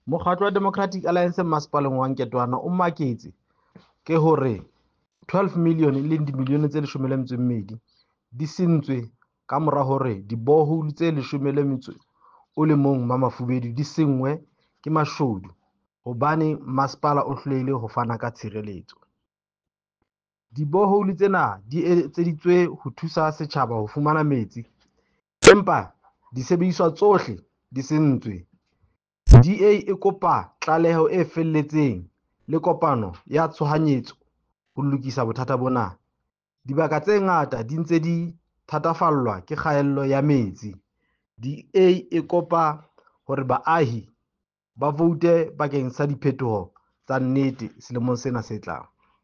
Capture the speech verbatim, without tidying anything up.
Mokgatlo wa Democratic Alliance masepaleng wa Nketoana o maketse ke hore twelve million e leng dimilione tse leshome le metso e mmedi di sentswe ka mora hore di-borehole tse leshome le metso o le mong Mamafubedu di senngwe ke mashodu hobane masepala o hlolehile ho fana ka tshireletso. Di-borehole tsena di etseditswe ho thusa setjhaba ho fumana metsi, empa disebediswa tsohle di sentswe. D A e kopa tlaleho e felletseng le kopano ya tshohanyetso ho lokisa bothata bona. Dibaka tse ngata di ntse di thatafallwa ke kgaello ya metsi. D A e kopa hore baahi ba voute bakeng sa diphetoho tsa nnete selemong sena se tlang.